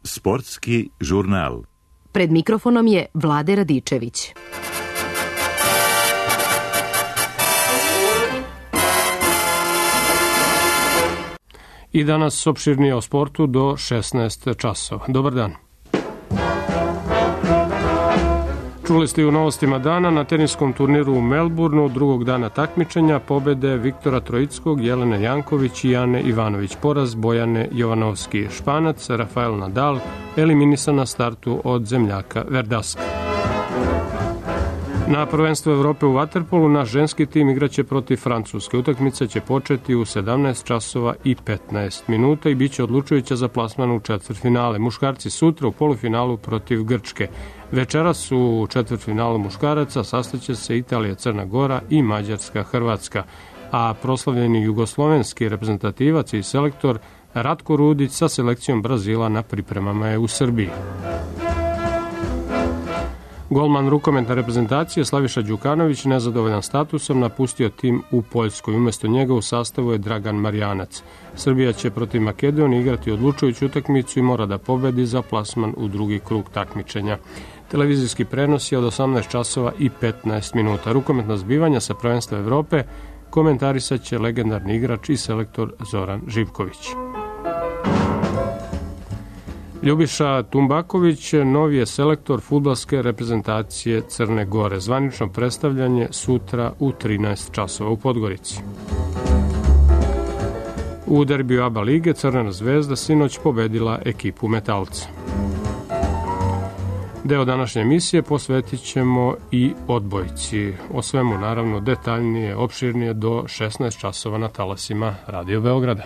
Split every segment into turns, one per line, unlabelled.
Sportski žurnal.
Pred mikrofonom je Vlade Radičević.
I danas opširnije o sportu do 16 časova. Dobar dan. Čuli ste u novostima dana na teniskom turniru u Melbourneu drugog dana takmičenja pobede Viktora Troickog, Jelene Janković i Ane Ivanović. Poraz Bojane Jovanovski. Španac Rafael Nadal eliminisan na startu od zemljaka Verdaska. Na prvenstvu Evrope u vaterpolu naš ženski tim igraće protiv Francuske. Utakmica će početi u 17 časova i 15 minuta i bit će odlučujuća za plasman u četvrtfinale. Muškarci sutra u polufinalu protiv Grčke. Večeras u četvrtfinalu muškaraca sastaće se Italija, Crna Gora i Mađarska, Hrvatska. A proslavljeni jugoslovenski reprezentativac i selektor Ratko Rudić sa selekcijom Brazila na pripremama je u Srbiji. Golman rukometne reprezentacije Slaviša Đukanović, nezadovoljan statusom, napustio tim u Poljskoj. Umesto njega u sastavu je Dragan Marjanac. Srbija će protiv Makedonije igrati odlučujuću utakmicu i mora da pobedi za plasman u drugi krug takmičenja. Televizijski prenos je od 18 časova i 15 minuta. Rukometna zbivanja sa prvenstva Evrope komentarisat će legendarni igrač i selektor Zoran Živković. Ljubiša Tumbaković novi je selektor fudbalske reprezentacije Crne Gore. Zvanično predstavljanje sutra u 13 časova u Podgorici. U derbiju ABA lige Crvena zvezda sinoć pobedila ekipu Metalca. Deo današnje emisije posvetit ćemo i odbojci. O svemu naravno detaljnije, opširnije do 16 časova na talasima Radio Beograda.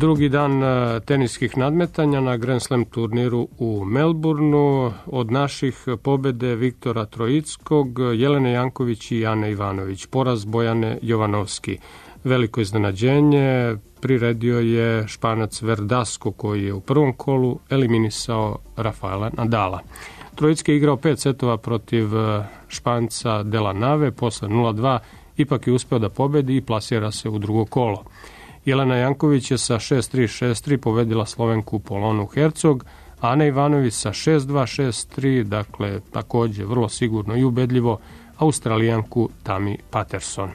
Drugi dan teniskih nadmetanja na Grand Slam turniru u Melbourneu. Od naših pobede Viktora Troickog, Jelene Janković i Ane Ivanović. Poraz Bojane Jovanovski. Veliko iznenađenje priredio je Španac Verdasco koji je u prvom kolu eliminisao Rafaela Nadala. Troicki je igrao 5 setova protiv Španca Della Nave, posle 0-2 ipak je uspeo da pobedi i plasira se u drugo kolo. Jelena Janković je sa 6-3, 6-3 pobedila Slovenku Polonu Hercog, a Ana Ivanović sa 6-2, 6-3, dakle takođe vrlo sigurno i ubedljivo Australijanku Tami Patterson.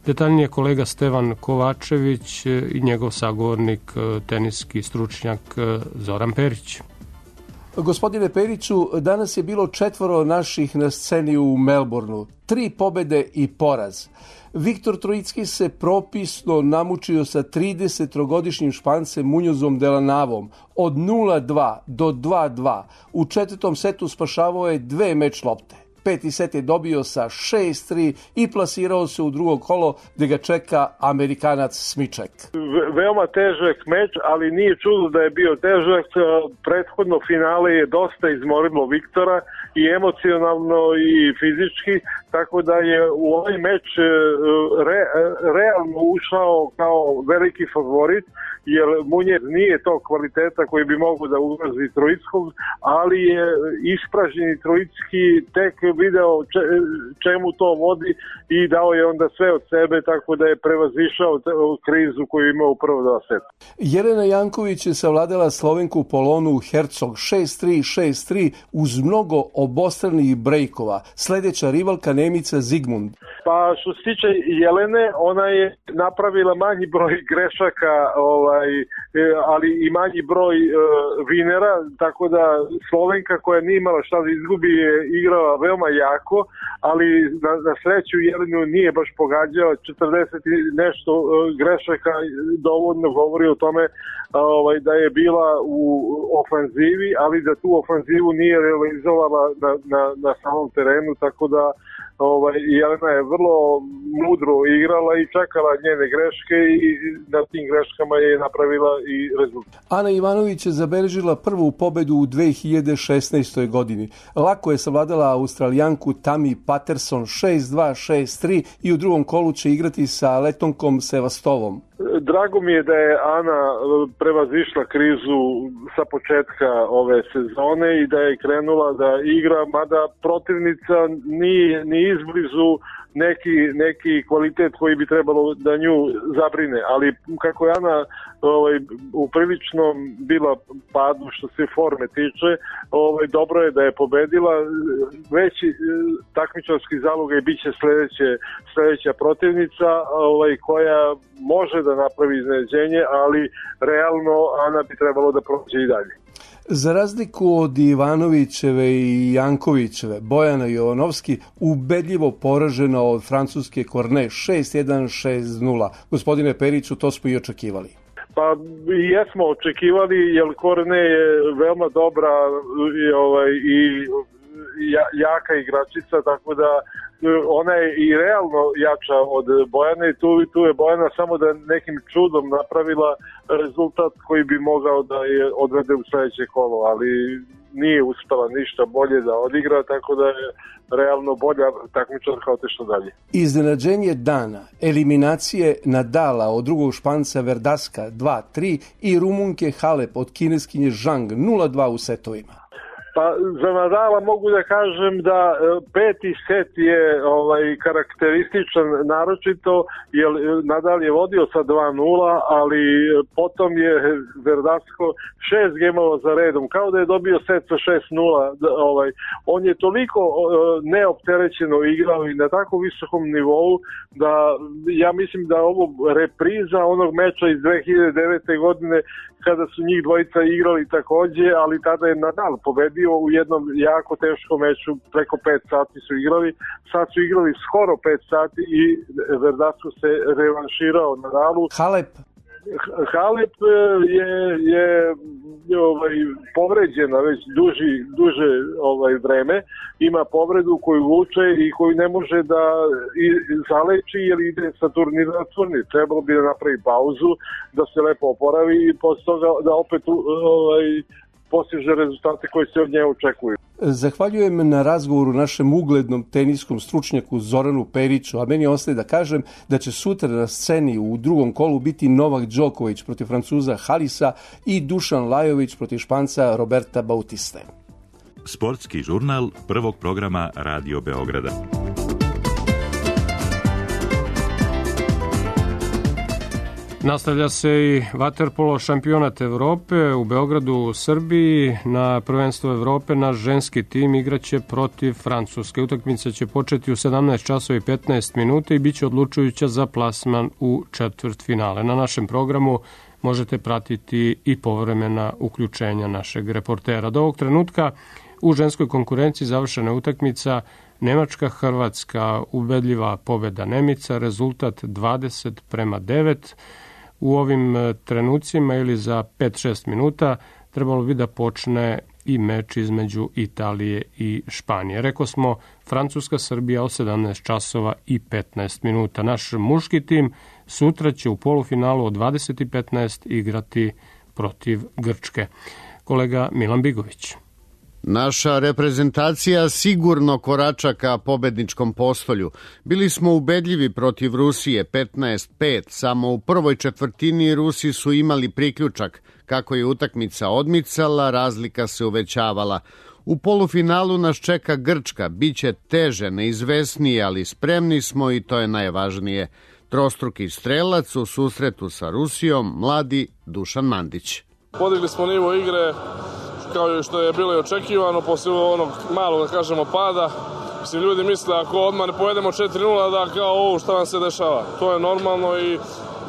Detaljnije kolega Stevan Kovačević i njegov sagovornik, teniski stručnjak Zoran Perić.
Gospodine Periću, danas je bilo 4 naših na sceni u Melbourneu. 3 pobede i poraz. Viktor Troicki se propisno namučio sa 33-godišnjim Špancem Muñozom Della Navom od 0-2 do 2-2. U 4. setu spašavao je 2 meč lopte. 5. set je dobio sa 6-3 i plasirao se u drugo kolo gde ga čeka Amerikanac Smiček.
Veoma težak meč, ali nije čudo da je bio težak. Prethodno finale je dosta izmorilo Viktora i emocionalno i fizički, tako da je u ovaj meč realno ušao kao veliki favorit, jer Muñez nije to kvaliteta koji bi mogu da ugrozi Troickog, ali je ispražnjeni Troicki tek video čemu to vodi i dao je onda sve od sebe, tako da je prevazišao krizu koju imao u prvo 2 seta.
Jelena Janković je savladala Slovenku Polonu Hercog 6-3, 6-3 uz mnogo obostranih brejkova. Sledeća rivalka Nemica Zigmund.
Pa što se tiče Jelene, ona je napravila manji broj grešaka, ali i manji broj vinera, tako da Slovenka koja nije imala šta da izgubi je igrala veoma jako, ali na sreću Jelenu nije baš pogađao. 40 i nešto grešaka dovoljno govori o tome da je bila u ofanzivi, ali da tu ofanzivu nije realizovala na samom terenu, tako da Jelena je vrlo mudro igrala i čekala njene greške i na tim greškama je napravila i rezultat.
Ana Ivanović je zabeležila prvu pobedu u 2016. godini. Lako je savladala Australijanku Tami Patterson 6-2, 6-3 i u drugom kolu će igrati sa Letonkom Sevastovom.
Drago mi je da je Ana prevazišla krizu sa početka ove sezone i da je krenula da igra, mada protivnica nije ni izblizu neki kvalitet koji bi trebalo da nju zabrine, ali kako je Ana u priličnom bila padu što se forme tiče, dobro je da je pobedila. Veći takmičarski zalogaj bit će sledeća protivnica koja može da napravi iznenađenje, ali realno Ana bi trebalo da prođe i dalje.
Za razliku od Ivanovićeve i Jankovićeve, Bojana Jovanovski ubedljivo poražena od francuske Cornet 6-1, 6-0. Gospodine Periću, to smo i očekivali.
Pa jesmo očekivali, jer Cornet je veoma dobra i jaka igračica, tako da ona je i realno jača od Bojane i tu je Bojana samo da nekim čudom napravila rezultat koji bi mogao da je odvede u sledeće kolo, ali nije uspela ništa bolje da odigra, tako da je realno bolja takmičarka otišla dalje.
Iznenađenje dana, eliminacije Nadala od drugog Španca Verdaska 2-3 i Rumunke Halep od kineskinje Zhang 0-2 u setovima.
Pa za Nadala mogu da kažem da peti set je karakterističan naročito, jer Nadal je vodio sa 2-0, ali potom je Verdasco 6 gemova za redom, kao da je dobio set sa 6-0. On je toliko neopterećeno igrao i na tako visokom nivou da ja mislim da ovo repriza onog meča iz 2009. godine kada su njih dvojica igrali takođe, ali tada je Nadal pobedio u jednom jako teškom meču, preko 5 sati su igrali, sad su igrali skoro 5 sati i Verdasco se revanširao Nadalu. Halep je povređena već duže vreme, ima povredu koju vuče i koju ne može da zaleči jer ide sa turnira na turnir. Trebalo bi da napravi pauzu, da se lepo oporavi i posle toga da opet postiže rezultate koji se od nje očekuju.
Zahvaljujem na razgovoru našem uglednom teniskom stručnjaku Zoranu Periću, a meni ostaje da kažem da će sutra na sceni u drugom kolu biti Novak Đoković protiv Francuza Halisa i Dušan Lajović protiv Španca Roberta Bautiste.
Sportski žurnal prvog programa Radio Beograda.
Nastavlja se i vaterpolo šampionat Evrope u Beogradu u Srbiji. Na prvenstvo Evrope naš ženski tim igraće protiv Francuske. Utakmica će početi u 17 časova i 15 minuta i bit će odlučujuća za plasman u četvrtfinale. Na našem programu možete pratiti i povremena uključenja našeg reportera. Do ovog trenutka u ženskoj konkurenciji završena utakmica Nemačka-Hrvatska, ubedljiva pobeda Nemica, rezultat 20-9. U ovim trenucima ili za 5-6 minuta trebalo bi da počne i meč između Italije i Španije. Rekao smo Francuska-Srbija o 17 časova i 15 minuta. Naš muški tim sutra će u polufinalu od 20:15 igrati protiv Grčke. Kolega Milan Bigović.
Naša reprezentacija sigurno korača ka pobedničkom postolju. Bili smo ubedljivi protiv Rusije 15-5. Samo u prvoj četvrtini Rusi su imali priključak. Kako je utakmica odmicala, razlika se uvećavala. U polufinalu nas čeka Grčka. Biće teže, neizvesnije, ali spremni smo i to je najvažnije. Trostruki strelac u susretu sa Rusijom, mladi Dušan Mandić.
Podigli smo nivo igre, kao što je bilo i očekivano, poslije onog malog, da kažemo, pada. Mislim, ljudi misle ako odmah ne povedemo 4-0 da kao šta nam se dešava. To je normalno i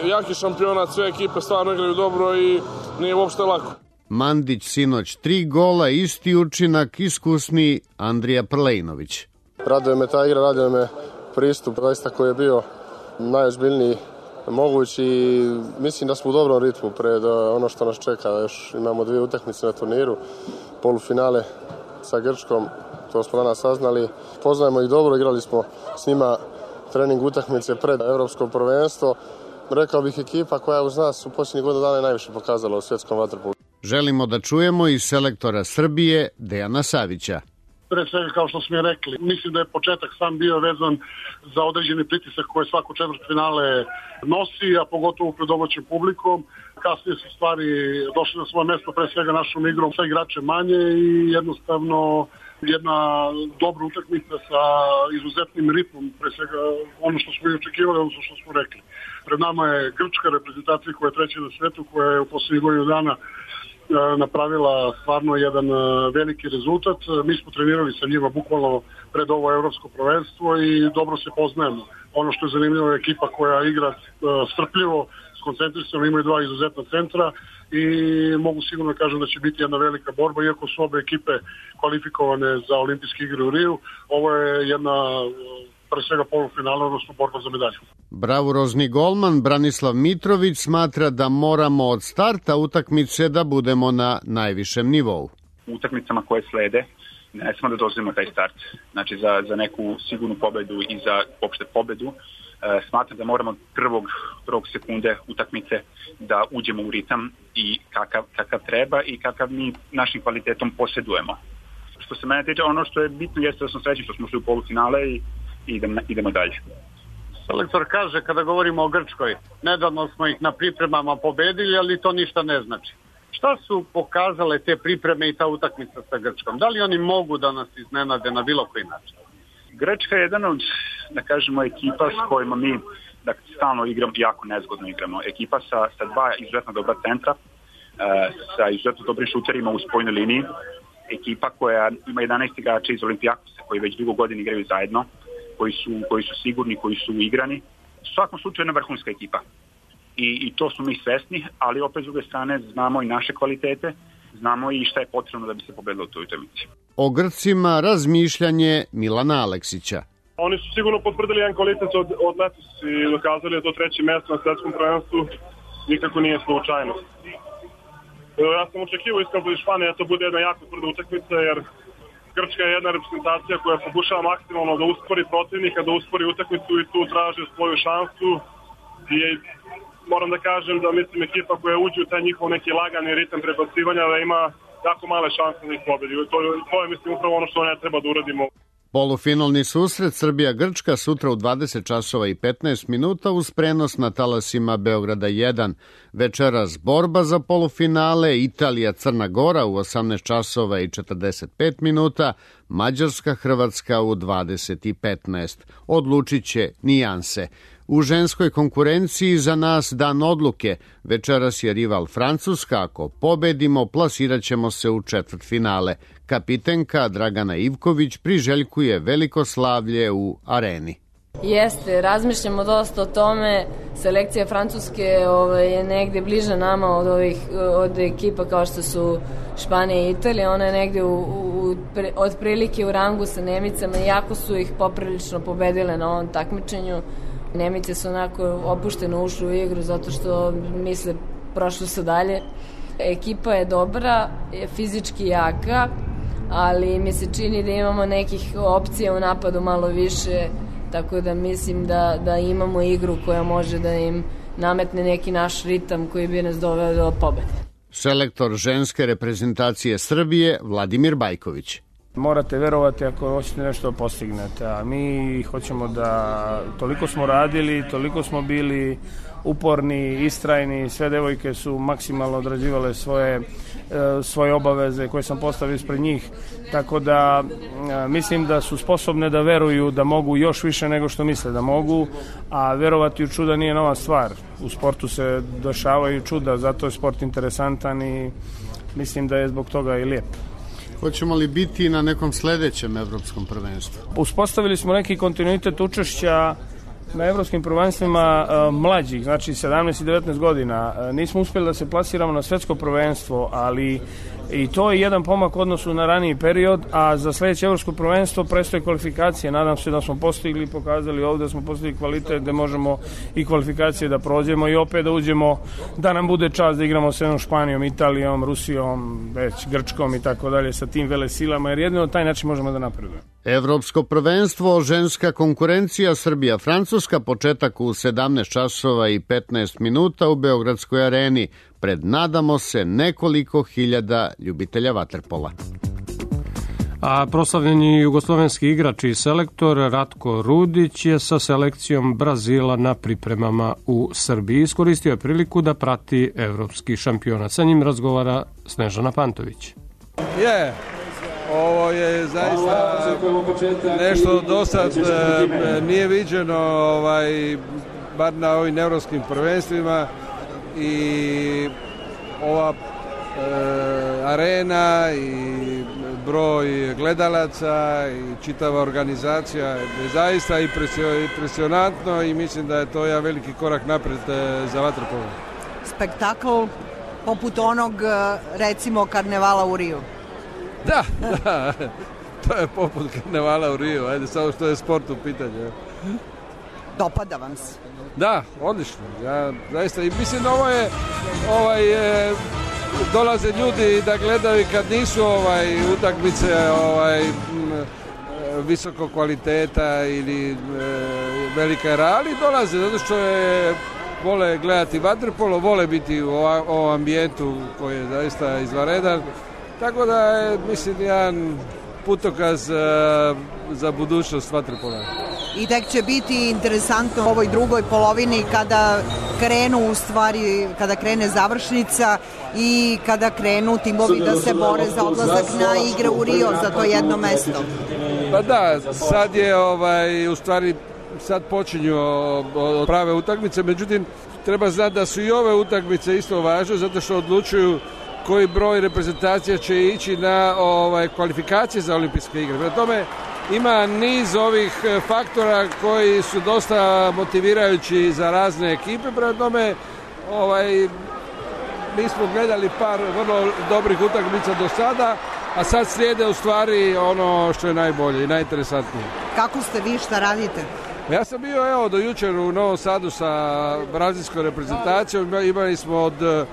jaki šampionat, sve ekipe stvarno igraju dobro i nije uopšte lako.
Mandić sinoć 3 gola, isti učinak, iskusni Andrija Prlejnović.
Raduje me ta igra, raduje me pristup, zaista koji je bio najozbiljniji mogući i mislim da smo u dobrom ritmu pred ono što nas čeka. Još imamo 2 utakmice na turniru, polufinale sa Grčkom, to smo danas saznali. Poznajemo ih dobro, igrali smo s njima trening utakmice pred evropsko prvenstvo. Rekao bih ekipa koja uz nas u posljednjih godina dana je najviše pokazala u svjetskom vaterpolu.
Želimo da čujemo i selektora Srbije Dejana Savića.
Pre svega, kao što smo je rekli, mislim da je početak sam bio vezan za određeni pritisak koje svako četvrtfinale nosi, a pogotovo pred domaćim publikom. Kasnije su stvari došle na svoje mesto, pre svega našom igrom, sve igrače manje i jednostavno jedna dobra utakmica sa izuzetnim ritmom, pre svega ono što smo i očekivali, ono što smo rekli. Pred nama je grčka reprezentacija koja je treća na svetu, koja je u poslednjih godinu dana napravila stvarno jedan veliki rezultat. Mi smo trenirali sa njima bukvalno pred ovo evropsko prvenstvo i dobro se poznajemo. Ono što je zanimljivo je ekipa koja igra strpljivo, skoncentrisano, imaju dva izuzetna centra i mogu sigurno kažem da će biti jedna velika borba, iako su obe ekipe kvalifikovane za olimpijske igre u Riju. Ovo je jedna pre svega polufinala, odnosno borba za medalju.
Bravurozni golman Branislav Mitrović smatra da moramo od starta utakmice da budemo na najvišem nivou.
U utakmicama koje slede ne smo da dozvolimo taj start. Znači za neku sigurnu pobedu i za opšte pobedu smatram da moramo prvog sekunde utakmice da uđemo u ritam i kakav treba i kakav mi našim kvalitetom posjedujemo. Što se mene tiče, ono što je bitno jeste da smo srećni što smo šli u polufinale i idemo dalje.
Selektor kaže, kada govorimo o Grčkoj, nedavno smo ih na pripremama pobedili, ali to ništa ne znači. Šta su pokazale te pripreme i ta utakmica sa Grčkom? Da li oni mogu da nas iznenade na bilo koji način?
Grčka je jedan od, da kažemo, ekipa s kojima mi stalno igramo, jako nezgodno igramo. Ekipa sa dva izuzetno dobra centra, sa izuzetno dobrim šuterima u spojnoj liniji. Ekipa koja ima 11 igrača iz Olimpijakosa koji već dugo godina igraju zajedno, koji su sigurni, koji su igrani. U svakom slučaju jedna vrhunska ekipa. I to smo mi svesni, ali opet s druge strane znamo i naše kvalitete, znamo i šta je potrebno da bi se pobedilo u toj utakmici.
O Grcima razmišljanje Milana Aleksića.
Oni su sigurno potvrdili jedan kvalitet od letos i dokazali da to treće mesto na svetskom prvenstvu nikako nije slučajnost. Ja sam očekivao iskreno od Španije da to bude jedna jako tvrda utakmica, jer Grčka je jedna reprezentacija koja pokušava maksimalno da uspori protivnika, da uspori utakmicu i tu traže svoju šansu. I moram da kažem da mislim ekipa koja uđe u taj njihov neki lagani ritam prebacivanja da ima jako male šanse da ih pobedi. To je mislim upravo ono što ne treba da uradimo.
Polufinalni susret Srbija-Grčka sutra u 20 časova i 15 minuta uz prenos na talasima Beograda 1. Večeras borba za polufinale Italija-Crna Gora u 18 časova i 45 minuta, Mađarska-Hrvatska u 20 i 15. Odlučit će nijanse. U ženskoj konkurenciji za nas dan odluke. Večeras je rival Francuska. Ako pobedimo, plasirat ćemo se u četvrtfinale. Kapitenka Dragana Ivković priželjkuje veliko slavlje u areni.
Jeste, razmišljamo dosta o tome. Selekcija Francuske je negde bliže nama od ekipa kao što su Španija i Italija. Ona je negde otprilike u rangu sa Nemicama, iako su ih poprilično pobedile na ovom takmičenju. Nemice su onako opušteno ušli u igru zato što misle prošli su dalje. Ekipa je dobra, je fizički jaka, ali mi se čini da imamo nekih opcija u napadu malo više, tako da mislim da imamo igru koja može da im nametne neki naš ritam koji bi nas doveo do pobede.
Selektor ženske reprezentacije Srbije Vladimir Bajković.
Morate verovati ako hoćete nešto postignete, a mi hoćemo da toliko smo radili, toliko smo bili uporni, istrajni, sve devojke su maksimalno odrađivale svoje obaveze koje sam postavio ispred njih, tako da mislim da su sposobne da veruju da mogu još više nego što misle da mogu, a verovati u čuda nije nova stvar. U sportu se dešavaju čuda, zato je sport interesantan i mislim da je zbog toga i lijep.
Hoćemo li biti na nekom sledećem evropskom prvenstvu?
Uspostavili smo neki kontinuitet učešća na evropskim prvenstvima mlađih, znači 17 i 19 godina. Nismo uspjeli da se plasiramo na svetsko prvenstvo, ali i to je jedan pomak u odnosu na raniji period, a za sledeće evropsko prvenstvo prestoje kvalifikacije. Nadam se da smo postigli i pokazali ovde da smo postigli kvalitet, da možemo i kvalifikacije da prođemo i opet da uđemo, da nam bude čast da igramo s jednom Španijom, Italijom, Rusijom, već Grčkom i tako dalje, sa tim velesilama, jer jedino na taj način možemo da napredujemo.
Evropsko prvenstvo, ženska konkurencija Srbija-Francuska, početak u 17 časova i 15 minuta u Beogradskoj areni. Pred nadamo se nekoliko hiljada ljubitelja vaterpola.
A proslavljeni jugoslovenski igrač i selektor Ratko Rudić je sa selekcijom Brazila na pripremama u Srbiji. Iskoristio je priliku da prati evropski šampionat. Sa njim razgovara Snežana Pantović.
Ovo je zaista nešto do sad nije viđeno, bar na ovim evropskim prvenstvima, i ova arena i broj gledalaca i čitava organizacija je zaista impresionantno i mislim da je to jedan veliki korak napred za vaterpolo.
Spektakl poput onog, recimo, karnevala u Riju.
Da, to je poput karnevala u Riju, ajde, samo što je sport u pitanju.
Dopada vam se?
Da, odlično. Ja zaista i mislim da ovo je dolaze ljudi da gledaju kad nisu utakmice visokog kvaliteta ili velika rali, dolaze zato što vole gledati vaterpolo, vole biti u ovom ambijentu koji je zaista izvanredan. Tako da je, mislim, jedan putokaz za budućnost vaterpola.
I tek će biti interesantno u ovoj drugoj polovini kada krene završnica i kada krenu timovi da se bore za odlazak na igre u Rio za to jedno mesto.
Pa da, sad je u stvari sad počinju prave utakmice, međutim treba znati da su i ove utakmice isto važne zato što odlučuju koji broj reprezentacija će ići na kvalifikacije za olimpijske igre. Prema tome ima niz ovih faktora koji su dosta motivirajući za razne ekipe. Prema tome mi smo gledali par vrlo dobrih utakmica do sada, a sad slijede u stvari ono što je najbolje i najinteresantnije.
Kako ste vi, šta radite?
Ja sam bio do jučer u Novom Sadu sa brazilskom reprezentacijom. Imali smo od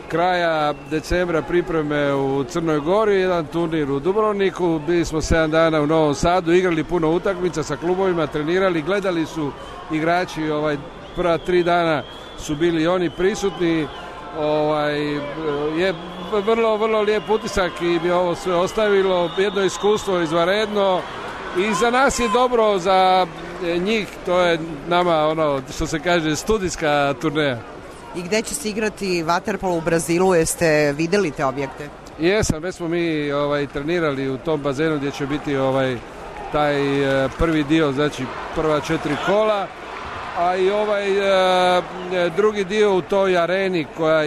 kraja decembra pripreme u Crnoj Gori, jedan turnir u Dubrovniku, bili smo 7 dana u Novom Sadu, igrali puno utakmica sa klubovima, trenirali, gledali su igrači, prva 3 dana su bili oni prisutni, je vrlo lijep utisak i bi ovo sve ostavilo, jedno iskustvo izvanredno i za nas je dobro, za njih to je nama što se kaže studijska turneja.
I gde će se igrati vaterpolo u Brazilu? Jeste videli te objekte?
Jesam, već smo mi trenirali u tom bazenu gdje će biti taj prvi dio, znači prva 4 kola, a i drugi dio u toj areni koja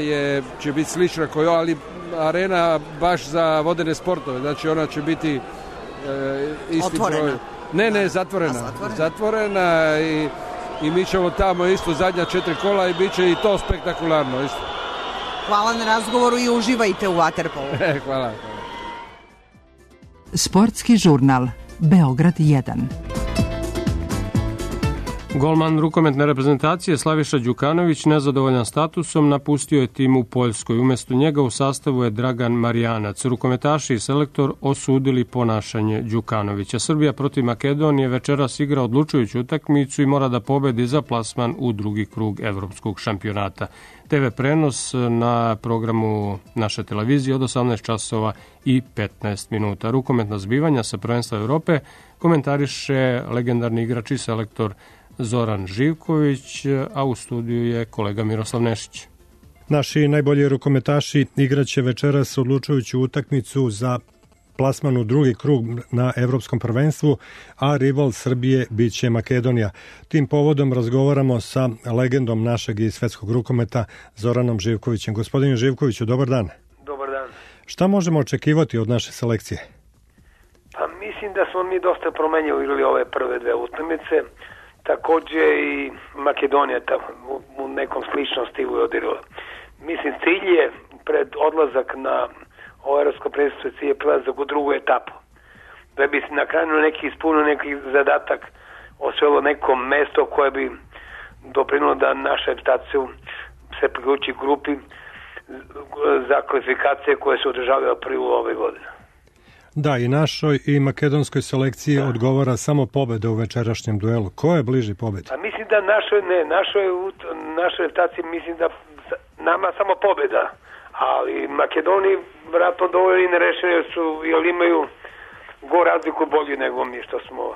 će biti slična ali arena baš za vodene sportove, znači ona će biti isti
otvorena.
Broj. Ne, zatvorena i mi ćemo tamo isto zadnja 4 kola i bit će i to spektakularno isto.
Hvala na razgovoru i uživajte u vaterpolu.
Hvala.
Sportski žurnal Beograd 1.
Golman rukometne reprezentacije Slaviša Đukanović, nezadovoljan statusom, napustio je tim u Poljskoj. Umesto njega u sastavu je Dragan Marjanac. Rukometaši i selektor osudili ponašanje Đukanovića. Srbija protiv Makedonije večeras igra odlučujuću utakmicu i mora da pobedi za plasman u drugi krug evropskog šampionata. TV prenos na programu naše televizije od 18 časova i 15 minuta. Rukometna zbivanja sa prvenstva Evrope komentariše legendarni igrač i selektor Zoran Živković, a u studiju je kolega Miroslav Nešić.
Naši najbolji rukometaši igraće večeras odlučujuću utakmicu za plasman u drugi krug na evropskom prvenstvu, a rival Srbije biće Makedonija. Tim povodom razgovaramo sa legendom našeg i svetskog rukometa Zoranom Živkovićem. Gospodine Živkoviću, dobar dan.
Dobar dan.
Šta možemo očekivati od naše selekcije?
Pa mislim da smo mi dosta promenjali igrali ove prve dve utakmice. Takođe i Makedonija u nekom sličnom stilu je odigrala. Mislim, cilj je pred odlazak na ovo evropsko prvenstvo, cilj je prelazak u drugu etapu. Da bi se na kraju ispunio neki zadatak, osvojilo neko mesto koje bi doprinilo da naša reprezentacija se priključi grupi za kvalifikacije koje se održavaju u aprilu ove godine.
Da, i našoj i makedonskoj selekciji odgovara samo pobeda u večerašnjem duelu. Ko je bliži pobedi?
A mislim da našoj reprezentaciji mislim da nama samo pobeda, ali Makedoniji vratno dovoljno i nerešeni jer imaju go razliku bolji nego mi što smo.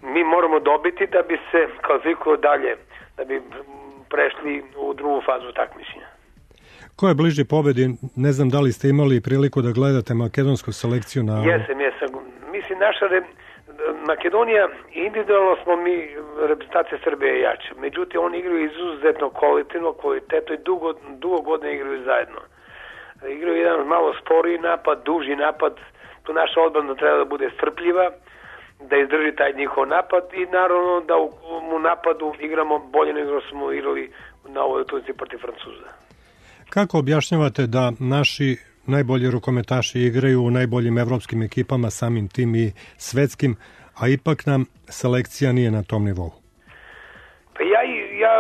Mi moramo dobiti da bi se kvalifikovali dalje, da bi prešli u drugu fazu takmičenja.
Ko je bliži pobedi? Ne znam da li ste imali priliku da gledate makedonsku selekciju na...
Jesam. Mislim, Makedonija, individualno smo mi, reprezentacija Srbije je jača. Međutim, oni igraju izuzetno kvalitetno i dugo godine igraju zajedno. Igraju jedan malo sporiji napad, duži napad. Tu naša odbrana treba da bude strpljiva, da izdrži taj njihov napad i naravno da u napadu igramo bolje nego smo igrali na ovoj utakmici protiv Francuza.
Kako objašnjavate da naši najbolji rukometaši igraju u najboljim evropskim ekipama, samim tim i svetskim, a ipak nam selekcija nije na tom nivou?
Pa ja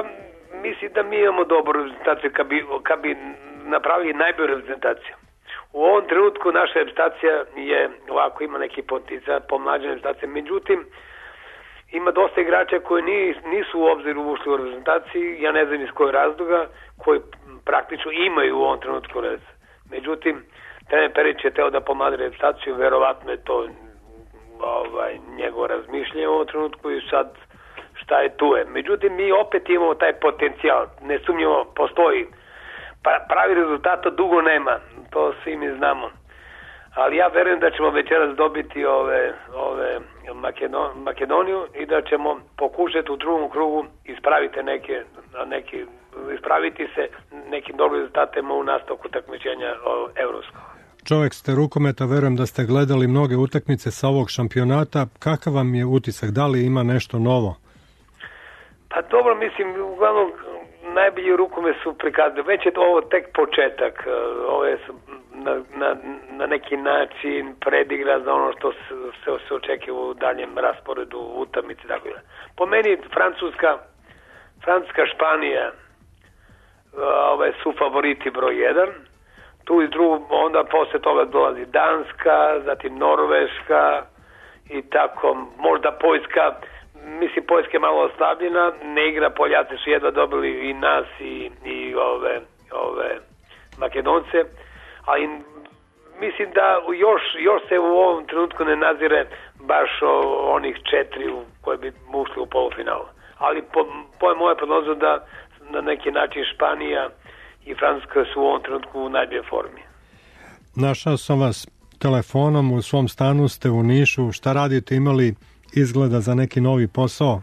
mislim da mi imamo dobru reprezentaciju kad bi napravili najbolju reprezentaciju. U ovom trenutku naša reprezentacija je ovako, ima neki potencijal, pomlađena reprezentacija, međutim ima dosta igrača koji nisu u obziru ušli u reprezentaciji, ja ne znam iz kojeg razloga, koji praktično imaju u ovom trenutku red. Međutim, trener Perić je teo da pomladi reprezentaciju, verovatno je to njegovo razmišljanje u ovom trenutku i sad šta je tu je. Međutim, mi opet imamo taj potencijal, nesumnjivo postoji. Pravi rezultata dugo nema, to svi mi znamo. Ali ja verujem da ćemo večeras dobiti Makedoniju i da ćemo pokušati u drugom krugu ispraviti se nekim dobrim rezultatima u nastavku takmičenja evropskog.
Čovjek ste rukometa, verujem da ste gledali mnoge utakmice sa ovog šampionata. Kakav vam je utisak? Da li ima nešto novo?
Pa dobro, mislim, uglavnom najbolji rukomet su prikazali. Već je ovo tek početak. Ovo je na neki način predigra za ono što se očekuje u daljem rasporedu utakmice. Po meni Francuska, Španija su favoriti broj 1. Tu iz drugog, onda posle toga dolazi Danska, zatim Norveška i tako, možda Poljska. Mislim, Poljska je malo oslabljena, ne igra, Poljaci su jedva dobili i nas i ove Makedonce, ali mislim da još se u ovom trenutku ne nazire baš onih 4 koji bi ušli u polufinalu. Ali po moje prognozu da na neki način Španija i Francuska su u ovom trenutku u najboljoj formi.
Našao sam vas telefonom, u svom stanu ste u Nišu. Šta radite, imali izgleda za neki novi posao?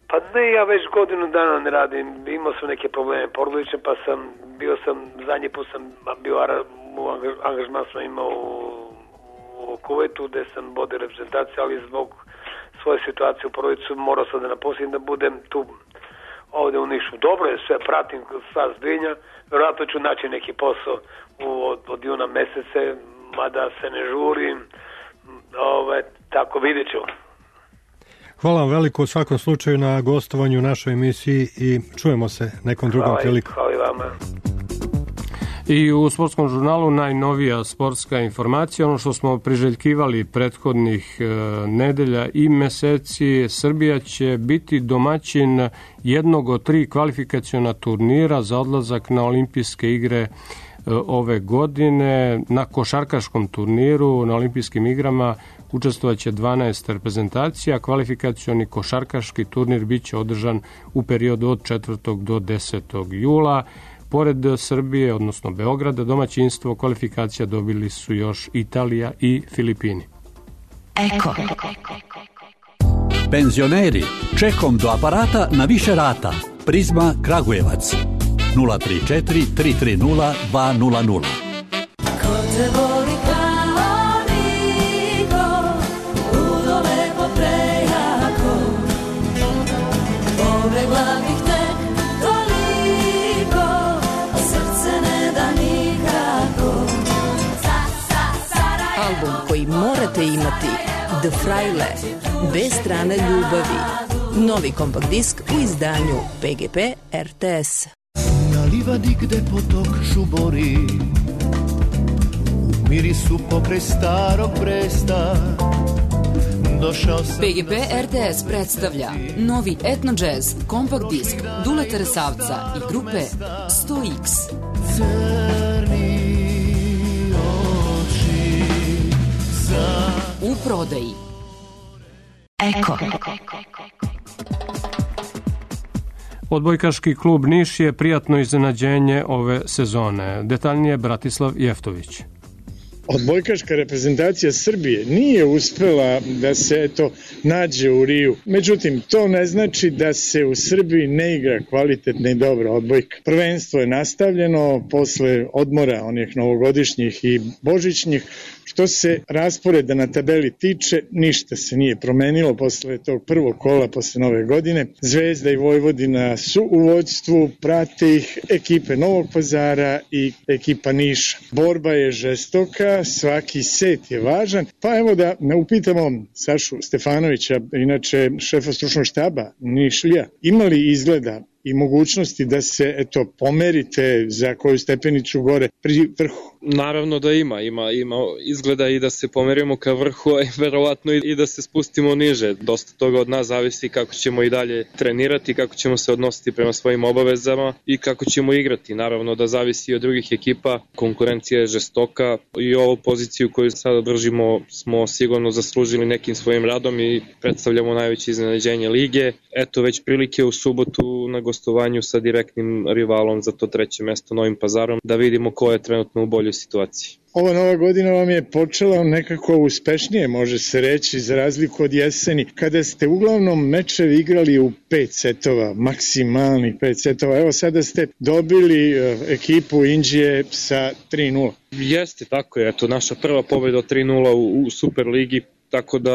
Pa ne, ja već godinu dana ne radim. Imao sam neke probleme porodične, pa zadnji put sam bio u angažman sam imao u Kuvajtu, gde sam vodio reprezentaciju, ali zbog svoje situacije u porodicu morao sam da napustim, da budem tu ovde u Nišu. Dobro je, sve pratim, sva zbrinja. Vjerojatno ću naći neki posao od juna mesece, mada se ne žurim. Tako vidjet ću.
Hvala vam veliko u svakom slučaju na gostovanju u našoj emisiji i čujemo se nekom drugom prilikom.
Hvala i vama.
I u sportskom žurnalu najnovija sportska informacija, ono što smo priželjkivali prethodnih nedelja i meseci, Srbija će biti domaćin jednog od 3 kvalifikaciona turnira za odlazak na olimpijske igre ove godine. Na košarkaškom turniru na olimpijskim igrama učestvovaće 12 reprezentacija. Kvalifikacioni košarkaški turnir biće održan u periodu od 4. do 10. jula. Pored Srbije, odnosno Beograda, domaćinstvo kvalifikacija dobili su još Italija i Filipini.
Eko. Penzioneri, čekom do aparata na više rata. Prizma Kragujevac. 034 330 200.
Ko te voli kao niko, ludo lepo prejako, pobegla bih tek toliko, a srce ne da nikako.
Album koji morate imati, The Fraile, bez strane ljubavi. Novi kompakt disk u izdanju PGP RTS.
Na livadi gde potok šubori, u mirisu pokraj starog Bresta, došao sam...
PGP RTS predstavlja novi etno jazz kompakt disk Duleta Resavca i grupe 100X.
Crni oči za
prodaji.
Eko.
Odbojkaški klub Niš je prijatno iznenađenje ove sezone. Detaljnije Bratislav Jeftović.
Odbojkaška reprezentacija Srbije nije uspela da se nađe u Riju. Međutim, to ne znači da se u Srbiji ne igra kvalitetna i dobra odbojka. Prvenstvo je nastavljeno posle odmora onih novogodišnjih i božićnjih. Što se rasporeda na tabeli tiče, ništa se nije promenilo posle tog prvog kola posle nove godine. Zvezda i Vojvodina su u vođstvu, prate ih ekipe Novog Pazara i ekipa Niša. Borba je žestoka, svaki set je važan, pa evo da ne upitamo Sašu Stefanovića, inače šefa stručnog štaba Nišlija, ima li izgleda i mogućnosti da se pomerite za koju stepenicu gore pri vrhu?
Naravno da ima izgleda i da se pomerimo ka vrhu, a verovatno i da se spustimo niže. Dosta toga od nas zavisi kako ćemo i dalje trenirati, kako ćemo se odnositi prema svojim obavezama i kako ćemo igrati. Naravno da zavisi i od drugih ekipa, konkurencija je žestoka i ovu poziciju koju sada držimo smo sigurno zaslužili nekim svojim radom i predstavljamo najveće iznenađenje lige. Eto već prilike u subotu na gostovanju sa direktnim rivalom za to 3. mesto Novim Pazarom, da vidimo ko je trenutno u boljoj situaciji.
Ova nova godina vam je počela nekako uspešnije, može se reći, za razliku od jeseni, kada ste uglavnom mečevi igrali u 5 setova, maksimalnih 5 setova. Evo sada ste dobili ekipu Inđije sa 3-0.
Jeste, tako je. Eto, naša prva pobjeda 3-0 u Superligi. Tako da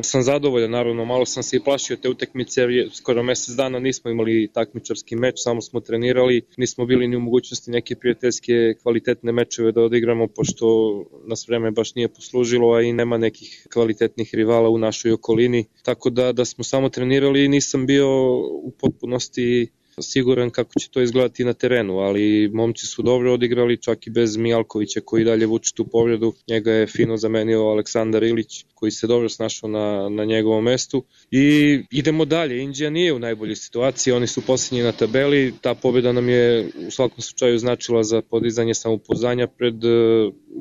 sam zadovoljan, naravno, malo sam se i plašio te utakmice jer skoro mesec dana nismo imali takmičarski meč, samo smo trenirali, nismo bili ni u mogućnosti neke prijateljske kvalitetne mečeve da odigramo, pošto nas vreme baš nije poslužilo, a i nema nekih kvalitetnih rivala u našoj okolini, tako da smo samo trenirali i nisam bio u potpunosti siguran kako će to izgledati na terenu, ali momci su dobro odigrali, čak i bez Mijalkovića koji dalje vuče tu povredu. Njega je fino zamenio Aleksandar Ilić koji se dobro snašao na njegovom mestu i idemo dalje. Indija nije u najboljoj situaciji, oni su posljednji na tabeli, ta pobjeda nam je u svakom slučaju značila za podizanje samopouzdanja pred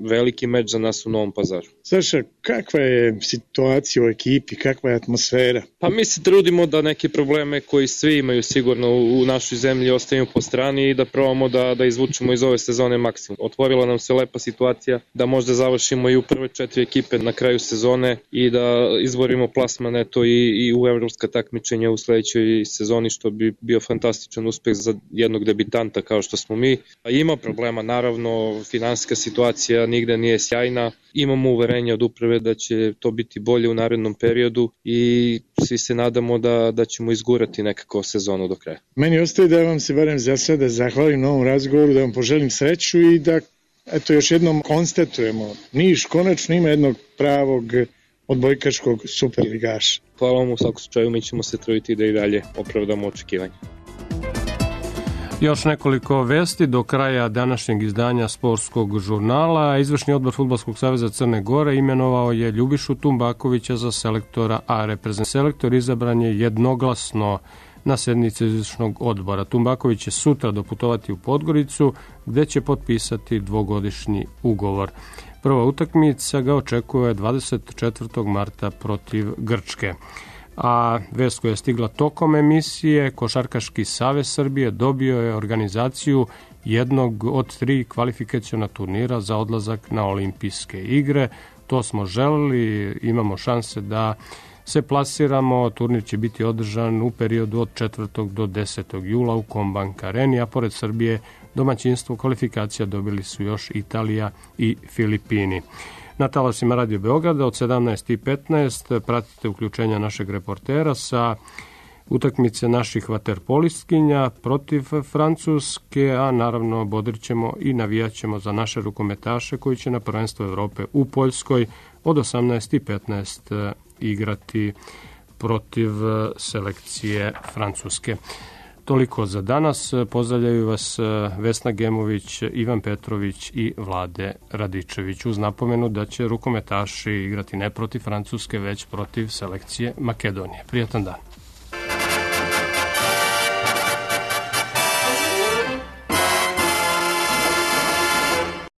veliki meč za nas u Novom Pazaru.
Saša, kakva je situacija u ekipi, kakva je atmosfera?
Pa mi se trudimo da neke probleme koji svi imaju sigurno u našoj zemlji ostavimo po strani i da probamo da izvučemo iz ove sezone maksimum. Otvorila nam se lepa situacija da možda završimo i u prve 4 ekipe na kraju sezone i da izborimo plasman i u evropska takmičenja u sledećoj sezoni, što bi bio fantastičan uspeh za jednog debitanta kao što smo mi. Ima problema, naravno, finansijska situacija nigde nije sjajna, imamo uverenje od uprave da će to biti bolje u narednom periodu i svi se nadamo da ćemo izgurati nekako sezonu do kraja.
Meni ostaje da vam se barem za sada zahvalim na ovom razgovoru, da vam poželim sreću i da još jednom konstatujemo, Niš konačno ima jednog pravog odbojkaškog superligaša.
Hvala vam, u svakom slučaju mi ćemo se truditi da i dalje opravdamo očekivanje.
Još nekoliko vesti do kraja današnjeg izdanja sportskog žurnala. Izvršni odbor Fudbalskog saveza Crne Gore imenovao je Ljubišu Tumbakovića za selektora, a reprezentativni selektor izabran je jednoglasno na sednici izvršnog odbora. Tumbaković će sutra doputovati u Podgoricu, gde će potpisati 2-godišnji ugovor. Prva utakmica ga očekuje 24. marta protiv Grčke. A vest koja je stigla tokom emisije, Košarkaški savez Srbije dobio je organizaciju jednog od 3 kvalifikaciona turnira za odlazak na olimpijske igre. To smo želeli, imamo šanse da se plasiramo. Turnir će biti održan u periodu od 4. do 10. jula u Kombank Areni, a pored Srbije domaćinstvo kvalifikacija dobili su još Italija i Filipini. Na talasima Radio Beograda od 17:15 pratite uključenja našeg reportera sa utakmice naših vaterpolistkinja protiv Francuske, a naravno bodrićemo i navijaćemo za naše rukometaše koji će na prvenstvo Evrope u Poljskoj od 18:15 igrati protiv selekcije Francuske. Toliko za danas. Pozdravljaju vas Vesna Gemović, Ivan Petrović i Vlade Radičević, uz napomenu da će rukometaši igrati ne protiv Francuske, već protiv selekcije Makedonije. Prijatan dan.